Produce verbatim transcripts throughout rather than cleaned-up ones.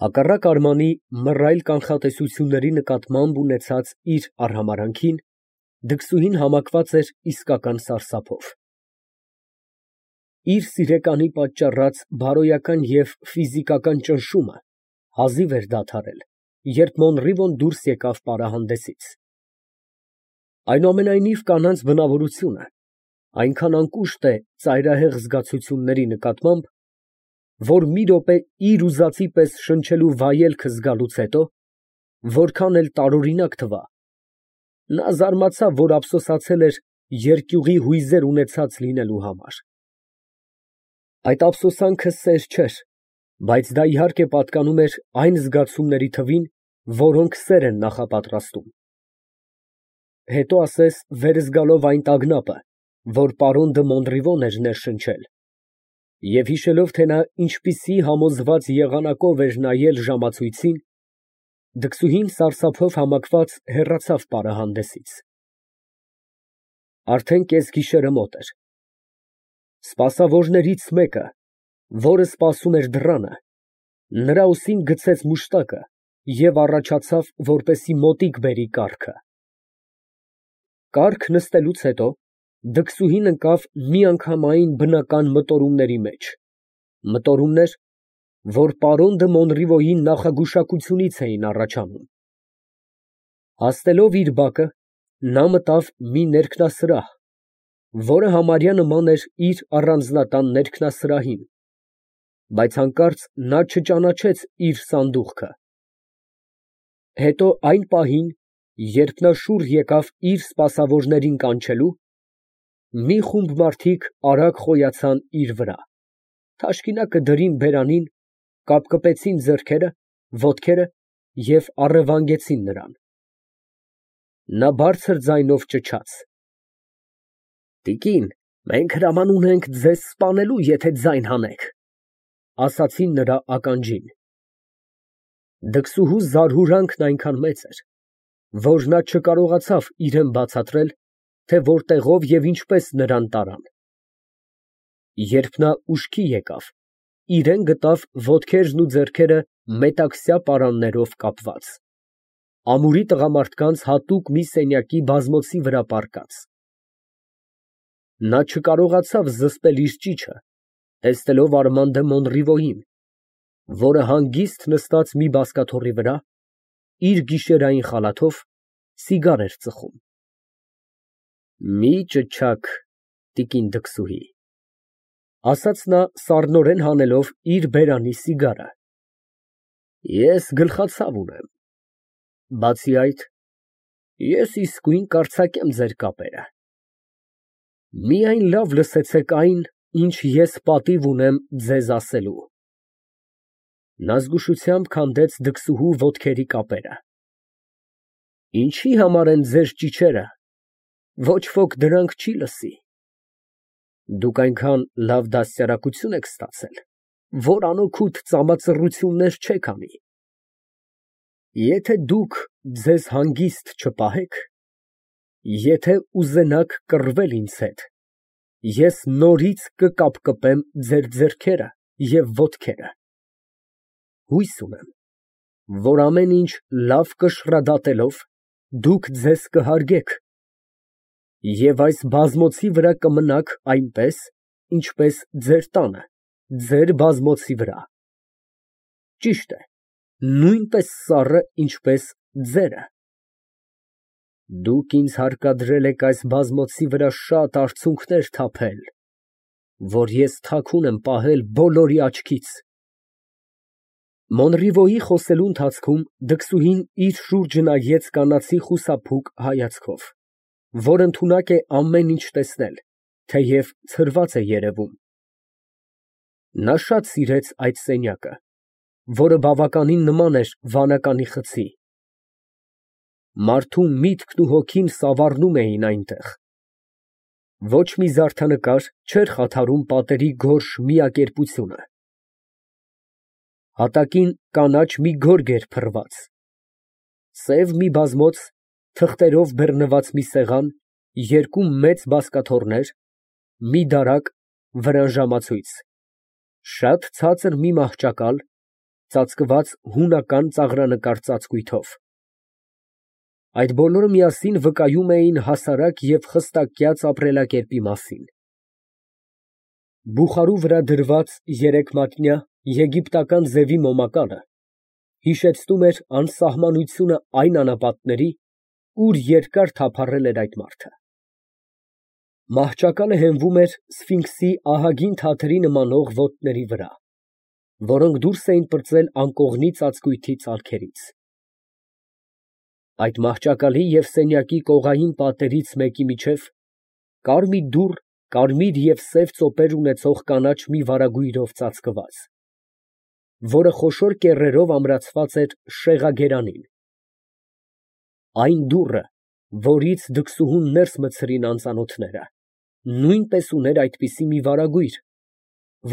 Հակառակ Արմանի մռայլ կանխատեսությունների նկատմամբ ունեցած իր արհամարհանքին, դքսուհին համակված էր իսկական սարսափով. իր սիրեկանի պատճառած բարոյական և ֆիզիկական ճնշումը հազիվ էր դադարել, երբ Մոնռիվոն դուրս եկավ պարահանդեսից. այնուամենայնիվ, կանանց բնավորությունը այնքան անկուշտ է ծայրահեղ զգացությունների նկատմամբ, որ մի րոպե իր ուզածի պես շնչելու վայելքը զգալուց հետո, որքան էլ տարօրինակ թվա, նա զարմացավ, որ ափսոսացել էր երկյուղի հույզեր ունեցած լինելու համար։ Այդ ափսոսանքը սեր չէր, բայց դա իհարկե պատկանում էր այն զգացումների թվին, որոնք սեր են նախապատրաստում։ Հետո ասես վեր զգալով այն տագնապը, որ պարոն դը Մոնռիվոն էր ներշնչել, և հիշելով, թե նա ինչպիսի համոզված եղանակով էր նայել ժամացույցին, դքսուհին սարսափով համակված հեռացավ պարահանդեսից։ Արդեն կեսգիշերը մոտ էր։ Սպասավորներից մեկը, որը սպասում էր դռանը, նրա ուսին գցեց մուշտակը և առաջացավ, որպեսզի մոտիկ բերի կառքը։ Կառք նստելուց հետո դքսուհին ընկավ միանգամայն բնական մտորումների մեջ, մտորումներ, որ պարոն դը Մոնռիվոյի նախագուշակությունից էին առաջանում։ Հասնելով իր բակը, նա մտավ մի ներքնասրահ, որը համարյա նման էր իր առանձնատան ներքնասրահին, բայց հանկարծ նա չճանաչեց իր սանդուղքը։ Հետո այն պահին, երբ նա շուռ եկավ իր սպասավորներին կանչելու, մի խումբ մարդիկ արագ խոյացան իր վրա, թաշկինակը դրին բերանին, կապկպեցին ձեռքերը, ոտքերը և առևանգեցին նրան։ Նա բարձր ձայնով ճչաց. «Տիկին, մենք հրաման ունենք ձեզ սպանելու, եթե ձայն հանեք», ֊ ասացին նրա ականջին։ Դքսուհու զարհուրանքն այնքան մեծ էր, որ նա չկարողացավ իրան բացատրել, թե որտեղով և ինչպես նրան տարան։ Երբ նա ուշքի եկավ, իրան գտավ ոտքերն ու ձեռքերը մետաքսյա պարաններով կապված, ամուրի տղամարդկանց հատուկ մի սենյակի բազմոցի վրա պառկած։ Նա չկարողացավ զսպել իր ճիչը, տեսնելով Արման դը Մոնռիվոյին, որը հանգիստ նստած մի բազկաթոռի վրա, իր գիշերային խալաթով սիգար էր ծխում։ «Մի ճչաք, տիկին դքսուհի», ֊ ասաց նա սառնորեն հանելով իր բերանի սիգարը, ֊ ես գլխացավ ունեմ։ Բացի այդ, ես իսկույն կարձակեմ ձեր կապերը։ Միայն լավ լսեցեք այն, ինչ ես պատիվ ունեմ ձեզ ասելու։ Նա զգուշությամբ քանդեց դքսուհու ոտքերի կապերը։ Ինչի համար են ձեր ճիչերը, ոչ ոք դրանք չի լսի։ Դուք այնքան լավ դաստիարակություն եք ստացել, որ անօգուտ ծամածռություններ չեք անի։ Եթե դուք ձեզ հանգիստ չպահեք, եթե ուզենաք կռվել ինձ հետ, ես նորից կկապկպեմ ձեր ձեռքերը և ոտքերը։ Հույս ունեմ, որ ամեն ինչ լավ կշռադատելով, դուք ձեզ կհարգեք և այս բազմոցի վրա կմնաք այնպես, ինչպես ձեր տանը, ձեր բազմոցի վրա։ Ճիշտ է, նույնպես սառը, ինչպես ձերը։ Դուք ինձ հարկադրել եք այս բազմոցի վրա շատ արցունքներ թափել, որ ես թաքուն եմ պահել բոլորի աչքից։ Մոնռիվոյի խոսելու ընթացքում դքսուհին իր շուրջը նայեց կանացի խուսափուկ հայացքով, որ ընդունակ է ամեն ինչ տեսնել, թեև ցրված է երևում։ Նա շատ սիրեց այդ սենյակը, որը բավականին նման էր վանականի խցի։ Մարդու միտքն ու հոգին սավառնում էին այնտեղ։ Ոչ մի զարդանկար չէր խաթարում պատերի գորշ միակերպությունը։ Հատակին կանաչ մի գորգ էր փռված, սև մի բազմոց, թղթերով բեռնված մի սեղան, երկու մեծ բազկաթոռներ, մի դարակ, վրան ժամացույց, շատ ցածր մի մահճակալ, ծածկված հունական ծաղրանկար ծածկույթով։ Այդ բոլորը միասին վկայում էին հասարակ և խստակյաց ապրելակերպի մասին։ Բուխարու վրա դրված երեկմատնյա եգիպտական ձևի մոմակալը հիշեցնում էր անսահմանությունը այն անապատների, ուր երկար թափառել էր այդ մարդը։ Մահճակալը հենվում էր սֆինքսի ահագին թաթերի նմանող ոտների վրա, որոնք դուրս էին պրծել անկողնի ծածկույթի ծալքերից։ Այդ մահճակալի և սենյակի կողային պատերից մեկի միջև կար մի դուռ կարմիր և սև ծոպեր ունեցող կանաչ մի վարագույրով ծածկված, որը խոշոր կեռերով ամրացված էր շեղագերանին։ Այն դուռը, որից դքսուհուն ներս մտցրին անծանոթները, նույնպես ուներ այդպիսի մի վարագույր,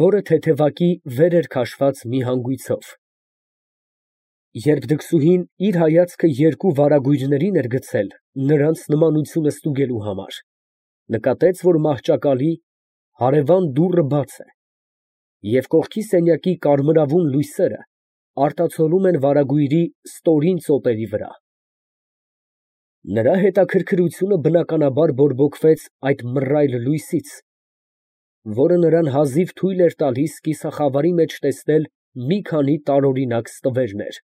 որը թեթևակի վեր էր քաշված մի հանգույցով։ Երբ դքսուհին իր հայացքը երկու վարագույրներին էր գցել նրանց նմանությունը ստուգելու համար, նկատեց, որ մահճակալի հարևան դուռը բաց է, և կողքի սենյակի կարմրավուն լույսերը արտացոլում են վարագույրի ստորին ծոպերի վրա։ Նրա հետաքրքրությունը բնականաբար բորբոքվեց այդ մռայլ լույսից, որը նրան հազիվ թույլ էր տալիս կիսախավարի մեջ տեսնել մի քանի տարօրինակ ստվերներ։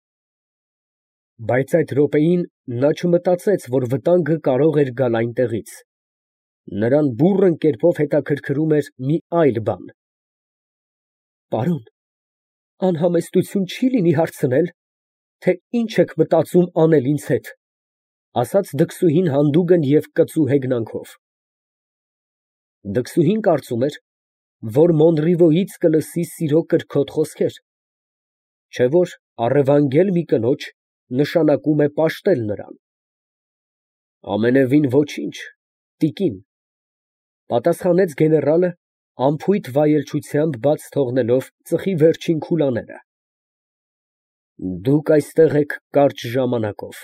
Բայց այդ րոպեին նա չմտածեց, որ վտանգը կարող էր գալ այնտեղից. նրան բուռն կերպով հետաքրքրում էր մի այլ բան։ Պարոն, անհամեստություն չի՞ լինի հարցնել, թե ինչ եք մտածում անել ինձ հետ, ֊ ասաց դքսուհին հանդուգն և կծու հեգնանքով։ Դքսուհին կարծում էր, որ Մոնրիվոյից կլսի սիրո կրքոտ խոսքեր, չէ՞ որ առևանգել մի կնոջ նշանակում է պաշտել նրան։ Ամենևին ոչինչ, տիկին, ֊ պատասխանեց գեներալը անփույթ վայելչությամբ բաց թողնելով ծխի վերջին քուլաները։ Դուք այստեղ եք կարճ ժամանակով։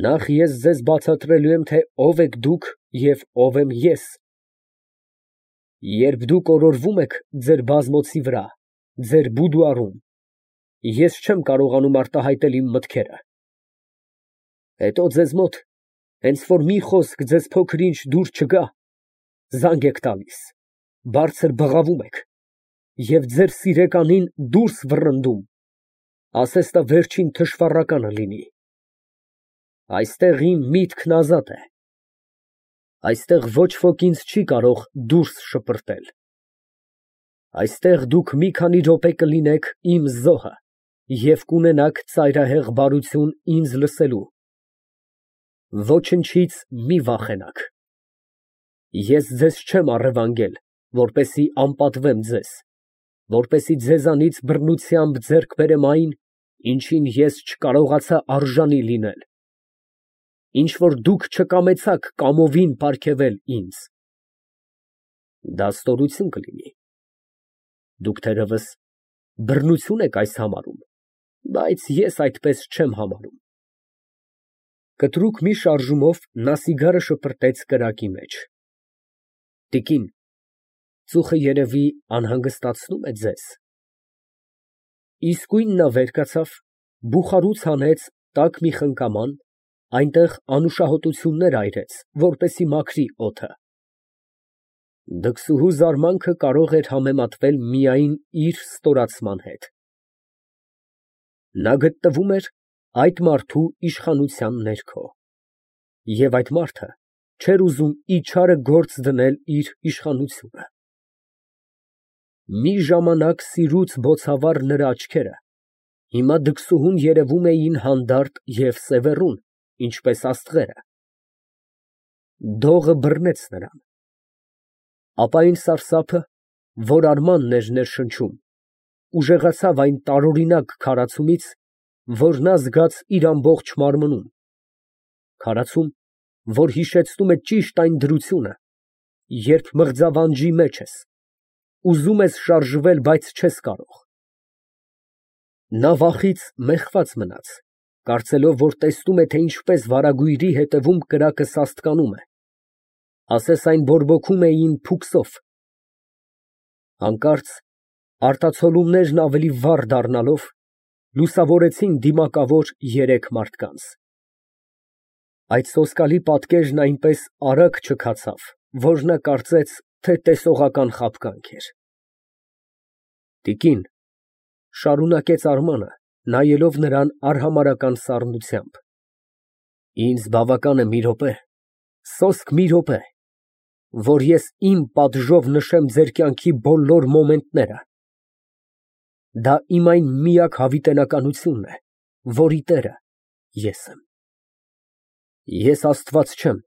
Նախ ես ձեզ բացատրելու եմ, թե ով եք դուք և ով եմ ես։ Երբ դուք օրորվում եք ձեր բազմոցի վրա, ձեր բուդուարում, ես չեմ կարողանում արտահայտել իմ մտքերը։ Հետո ձեզ մոտ, հենց որ մի խոսք ձեզ փոքր֊ինչ դուր չգա, զանգ եք տալիս, բարձր բղավում եք և ձեր սիրեկանին դուրս վռնդում, ասես տա վերջին թշվառականը լինի։ Այստեղ իմ միտքն ազատ է։ Այստեղ ոչ ոք ինձ չի կարող դուրս շպրտել։ Այստեղ դուք մի քանի րոպե կլինեք իմ զոհը և կունենաք ծայրահեղ բարություն ինձ լսելու։ Ոչնչից մի վախենաք։ Ես ձեզ չեմ առևանգել, որպեսզի անպատվեմ ձեզ, որպեսզի ձեզանից բռնությամբ ձեռք բերեմ այն, ինչին ես չկարողացա արժանի լինել, ինչ որ դուք չկամեցաք կամովին պարգևել ինձ։ Դա ստորություն կլինի։ Դուք թերևս բռնություն եք այս համարում, բայց ես այդպես չեմ համարում։ Կտրուկ մի շարժումով նա սիգարը շպրտեց կրակի մեջ։ Տիկին, ծուխը երևի անհանգստացնո՞ւմ է ձեզ։ Իսկույն նա վեր կացավ, բուխարուց հանեց տաք մի խնկաման, այնտեղ անուշահոտություններ այրեց, որպեսզի մաքրի օդը։ Դքսուհու զարմանքը կարող էր համեմատվել միայն իր ստորացման հետ։ Նա գտնվում էր այդ մարդու իշխանության ներքո, և այդ մարդը չէր ուզում իչարը գործ դնել իր իշխանությունը։ Մի ժամանակ սիրուց բոցավառ նրա աչքերը հիմա դքսուհուն երևում էին հանդարտ և սևեռուն, ինչպես աստղերը։ Դողը բռնեց նրան։ Ապա այն սարսափը, որ արմանն էր ներշնչում, ուժեղացավ այն տարօրինակ քարացումից, որ նա զգաց իր ամբողջ մարմնում, քարացում, որ հիշեցնում է ճիշտ այն դրությունը, երբ մղձավանջի մեջ ես, ուզում ես շարժվել, բայց չես կարող։ Նա վախից մեխված մնաց, կարծելով, որ տեսնում է, թե ինչպես վարագույրի ետևում կրակը սաստկանում է, ասես այն բորբոքում էին փուքսով։ Հանկարծ Արտացոլումներն ավելի վառ դառնալով, լուսավորեցին դիմակավոր երեք մարդկանց։ Այդ սոսկալի պատկերն այնպես արագ չքացավ, որ նա կարծեց, թե տեսողական խաբկանք էր։ Տիկին, ֊ շարունակեց Արմանը, նայելով նրան արհամարհական սառնությամբ, ինձ բավական է մի րոպե, սոսկ մի րոպե, որ ես իմ պատժով նշեմ ձեր կյանքի բոլոր մոմենտները։ Դա իմ այն միակ հավիտենականությունն է, որի տերը ես եմ։ Ես Աստված չեմ,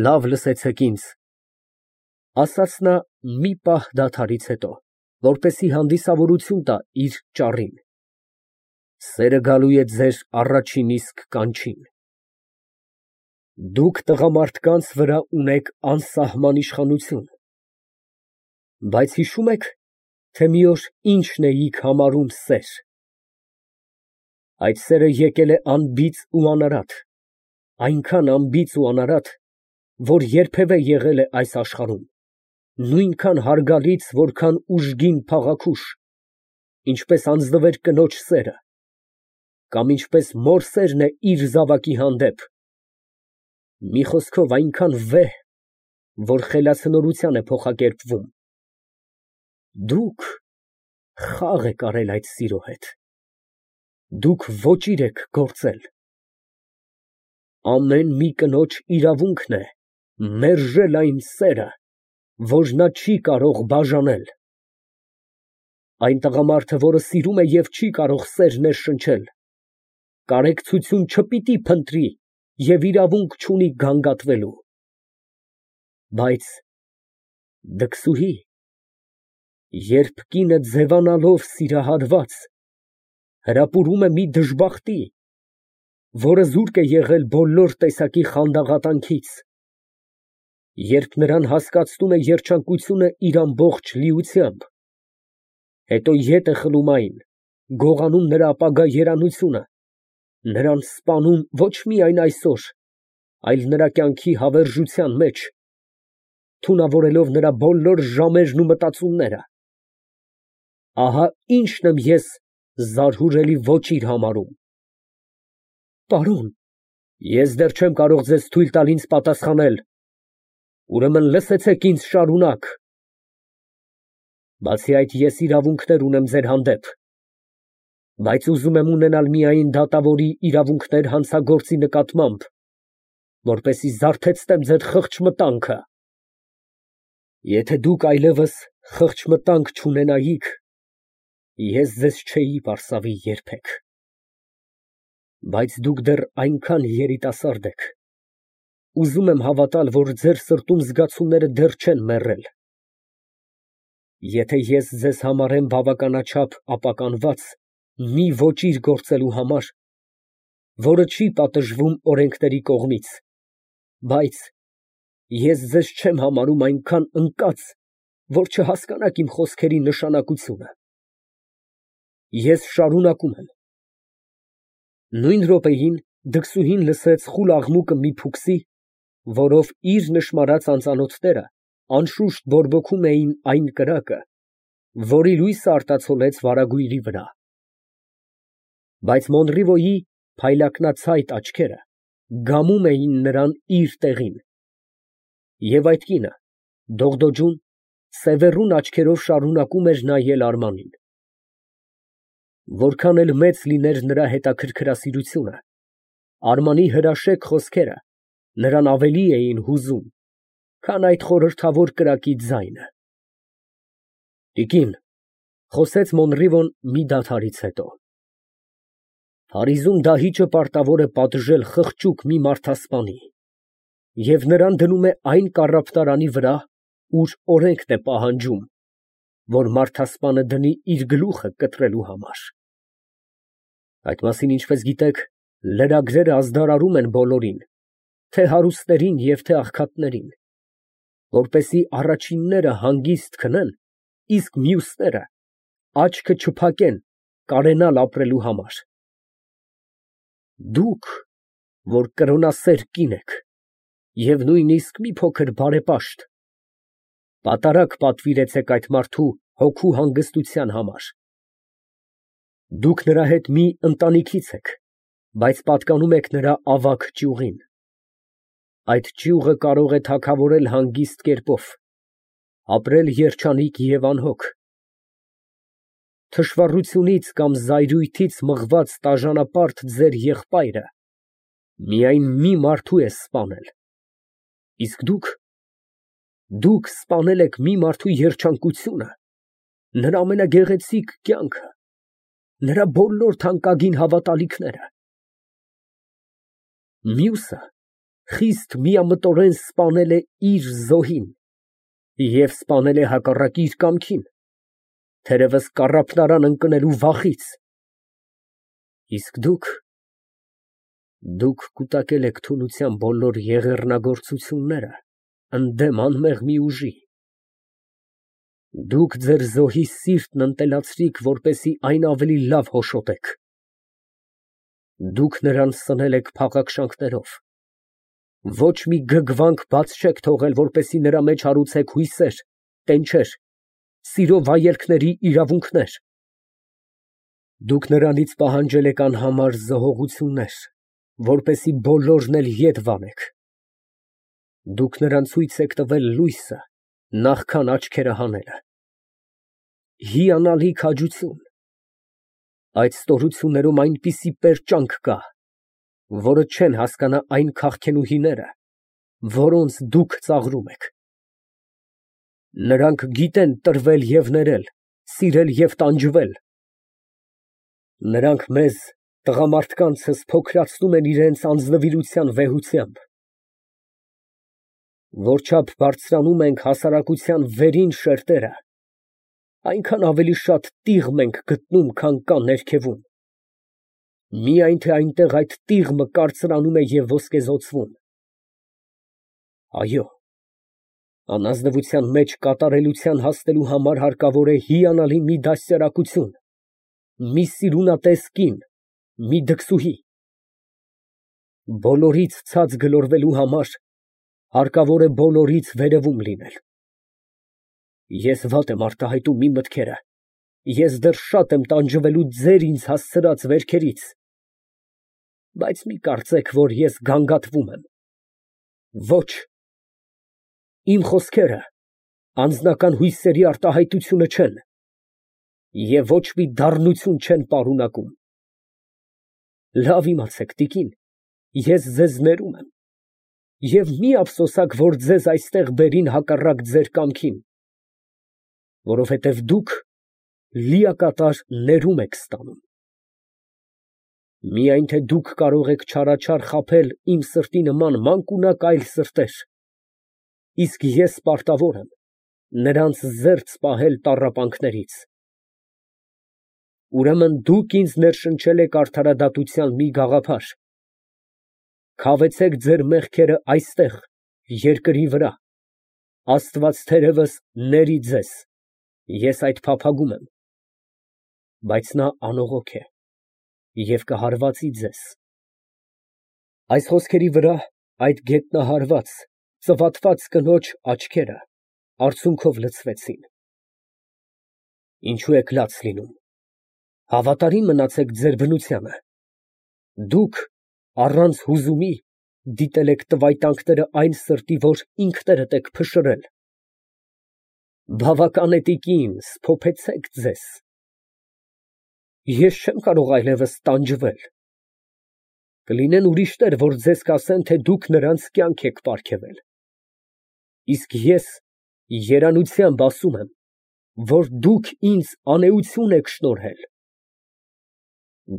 լավ լսեցեք ինձ, ֊ ասաց նա մի պահ դադարից հետո, որպեսզի հանդիսավորություն տա իր ճառին, ֊ սերը գալու է ձեր առաջին իսկ կանչին։ Դուք տղամարդկանց վրա ունեք անսահման իշխանություն, բայց հիշո՞ւմ եք, թե մի օր ի՞նչն էիք համարում սեր։ Այդ սերը եկել է անբիծ ու անարատ, այնքան անբիծ ու անարատ, որ երբևէ եղել է այս աշխարհում, նույնքան հարգալից, որքան ուժգին փաղաքուշ, ինչպես անձնվեր կնոջ սերը, կամ ինչպես մոր սերն է իր զավակի հանդեպ, մի խոսքով այնքան վեհ, որ խելացնորության է փոխակերպվում։ Դուք խաղ եք արել այդ սիրո հետ, դուք ոճիր եք գործել։ Ամեն մի կնոջ իրավունքն է մերժել այն սերը, որ նա չի կարող բաժանել։ Այն տղամարդը, որը սիրում է և չի կարող սեր ներշնչել, կարեկցություն չպիտի փնտրի և իրավունք չունի գանգատվելու։ Բայց, դքսուհի, երբ կինը ձևանալով սիրահարված, հրապուրում է մի դժբախտի, որը զուրկ է եղել բոլոր տեսակի խանդաղատանքից, երբ նրան հասկացնում է երջանկությունը իր ամբողջ լիությամբ, հետո ետ է խլում այն, գողանում նրա ապագա երանությունը, նրան սպանում ոչ միայն այսօր, այլ նրա կյանքի հավերժության մեջ, թունավորելով նրա բոլոր ժամերն ու մտածումները, ահա ինչն եմ ես զարհուրելի ոճիր համարում։ Պարոն, ես դեռ չեմ կարող ձեզ թույլ տալ ինձ պատասխանել, ուրեմն լսեցեք ինձ շարունակ։ Բացի այդ, ես իրավունքներ ունեմ ձեր հանդեպ, բայց ուզում եմ ունենալ միայն դատավորի իրավունքներ հանցագործի նկատմամբ, որպեսզի զարթեցնեմ ձեր խղճմտանքը։ Եթե դուք այլևս խղճմտանք չունենայիք, ես ձեզ չէի պարսավի երբեք։ Բայց դուք դեռ այնքան երիտասարդ եք, ուզում եմ հավատալ, որ ձեր սրտում զգացումները դեռ չեն մեռել։ Եթե ես ձեզ համարեմ բավականաչափ ապականված մի ոճիր գործելու համար, որը չի պատժվում օրենքների կողմից, բայց ես ձեզ չեմ համարում այնքան ընկած, որ չհասկանաք իմ խոսքերի նշանակությունը, ես շարունակում եմ։ Նույն րոպեին դքսուհին լսեց խուլ աղմուկը մի փուքսի, որով իր նշմարած անծանոթները անշուշտ բորբոքում էին այն կրակը, որի լույսը արտացոլեց վարագույրի վրա։ Բայց Մոնրիվոյի փայլակնացայտ աչքերը գամում էին նրան իր տեղին, և այդ կինը, դողդոջուն, սևեռուն աչքերով շարունակում էր նայել Արմանին։ Որքան էլ մեծ լիներ նրա հետաքրքրասիրությունը, Արմանի հրաշեկ խոսքերը նրան ավելի էին հուզում, քան այդ խորհրդավոր կրակի ձայնը։ Տիկին, ֊ խոսեց Մոնրիվոն մի դադարից հետո, ֊ Փարիզում դահիճը պարտավոր է պատժել խղճուկ մի մարդասպանի և նրան դնում է այն կառափտարանի վրա, ուր օրենքն է պահանջում, որ մարդասպանը դնի իր գլուխը կտրելու համար։ Այդ մասին, ինչպես գիտեք, լրագրերը ազդարարում են բոլորին, թե հարուստներին և թե աղքատներին, որպեսզի առաջինները հանգիստ քնեն, իսկ մյուսները աչքը չփակեն կարենալ ապրելու համար։ Դուք, որ կրոնասեր կին եք և նույնիսկ մի փոքր բարեպաշտ, պատարագ պատվիրեցեք այդ մարդու հոգու հանգստության համար։ Դուք նրա հետ մի ընտանիքից եք, բայց պատկանում եք նրա ավագ ճյուղին։ Այդ ճյուղը կարող է թագավորել հանգիստ կերպով, ապրել երջանիկ և անհոգ։ Թշվառությունից կամ զայրույթից մղված տաժանապարտ ձեր եղբայրը միայն մի մարդու է սպանել, իսկ դուք… դուք սպանել եք մի մարդու երջանկությունը, նրա ամենագեղեցիկ կյանքը, նրա բոլոր թանկագին հավատալիքները։ Մյուսը խիստ միամտորեն սպանել է իր զոհին և սպանել է հակառակ իր կամքին, թերևս կառափնարան ընկնելու վախից, իսկ դուք… դուք կուտակել եք թուլության բոլոր եղեռնագործությունները ընդդեմ անմեղ մի ուժի։ Դուք ձեր զոհի սիրտն ընտելացրիք, որպեսզի այն ավելի լավ հոշոտեք։ Դուք նրան սնել եք փաղաքշանքներով, ոչ մի գգվանք բաց չեք թողել, որպեսզի նրա մեջ հարուցեք հույսեր, տենչեր, սիրո վայելքների իրավունքներ։ Դուք նրանից պահանջել եք անհամար զոհողություններ, որպեսզի բոլորն էլ ետ վանեք։ Դուք նրան ցույց եք տվել լույսը, նախքան աչքերը հանելը։ Հիանալի քաջություն։ Այդ ստորություններում այնպիսի պերճանք կա, որը չեն հասկանա այն քաղցնուհիները, որոնց դուք ծաղրում եք։ Նրանք գիտեն տրվել և ներել, սիրել և տանջվել։ Նրանք մեզ, տղամարդկանցս, փոքրացնում են իրենց անձնվիրության վեհությամբ։ Որչափ բարձրանում ենք հասարակության վերին շերտերը, այնքան ավելի շատ տիղմ ենք գտնում, քան կա ներքևում, միայն թե այնտեղ այդ տիղմը կարծրանում է և ոսկեզօծվում։ Այո, անազնվության մեջ կատարելության հասնելու համար հարկավոր է հիանալի մի դաստիարակություն, մի սիրունատես կին, մի դքսուհի։ Բոլորից ցած գլորվելու համար հարկավոր է բոլորից վերևում լինել։ Ես վատ եմ արտահայտում իմ մտքերը, ես դեռ շատ եմ տանջվելու ձեր ինձ հասցրած վերքերից, բայց մի կարծեք, որ ես գանգատվում եմ։ Ոչ, իմ խոսքերը անձնական հույսերի արտահայտությունը չեն և ոչ մի դառնություն չեն պարունակում։ Լավ իմացեք, տիկին, ես ձեզ ներում եմ, և մի ափսոսանք, որ ձեզ այստեղ բերին հակառակ ձեր կամքին, որովհետև դուք լիակատար ներում եք ստանում։ Միայն թե դուք կարող եք չարաչար խաբել իմ սրտի նման մանկունակ այլ սրտեր, իսկ ես պարտավոր եմ նրանց զերծ պահել տառապանքներից։ Ուրեմն դուք ինձ ներշնչել եք արդարադատության մի գաղափար, քավեցեք ձեր մեղքերը այստեղ, երկրի վրա, Աստված թերևս ների ձեզ, ես այդ փափագում եմ, բայց նա անողոք է և կհարվածի ձեզ։ Այս խոսքերի վրա այդ գետնահարված, ծվատված կնոջ աչքերը արցունքով լցվեցին։ Ինչո՞ւ եք լաց լինում, հավատարի՞մ մնացեք ձեր բնությանը։ Դուք առանց հուզումի դիտել եք տվայտանքները այն սրտի, որ ինքներդ եք փշրել։ Բավական է, տիկին, սփոփեցեք ձեզ։ Ես չեմ կարող այլևս տանջվել։ Կլինեն ուրիշներ, որ ձեզ կասեն, թե դուք նրանց կյանք եք պարգևել, իսկ ես երանությամբ ասում եմ, որ դուք ինձ անեություն եք շնորհել։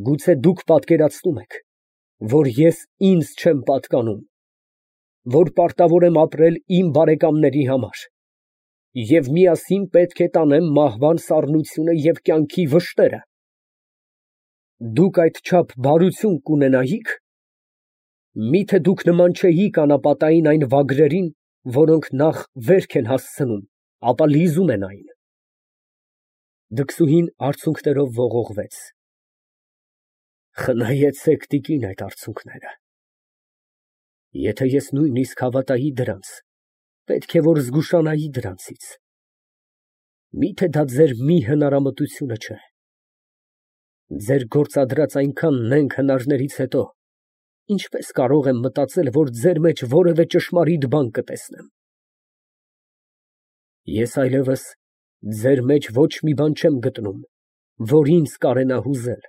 Գուցե դուք պատկերացնում եք, որ ես ինձ չեմ պատկանում, որ պարտավոր եմ ապրել իմ բարեկամների համար և միասին պետք է տանեմ մահվան սառնությունը և կյանքի վշտերը։ Դուք այդչափ բարություն կունենայի՞ք, միթե դուք նման չէիք անապատային այն վագրերին, որոնք նախ վերք են հասցնում, ապա լիզում են այն։ Դքսուհին արցունքներով ողողվեց։ Խնայեցեք, տիկին, այդ արցունքները։ Եթե ես նույնիսկ հավատայի դրանց, պետք է որ զգուշանայի դրանցից։ Միթե դա ձեր մի հնարամտությունը չէ։ Ձեր գործադրած այնքան նենգ հնարներից հետո ինչպես կարող եմ մտածել, որ ձեր մեջ որևէ ճշմարիտ բան կտեսնեմ։ Ես այլևս ձեր մեջ ոչ մի բան չեմ գտնում, որ ինձ կարենա հուզել։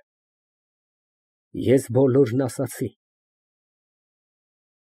Ես բոլորն ասացի։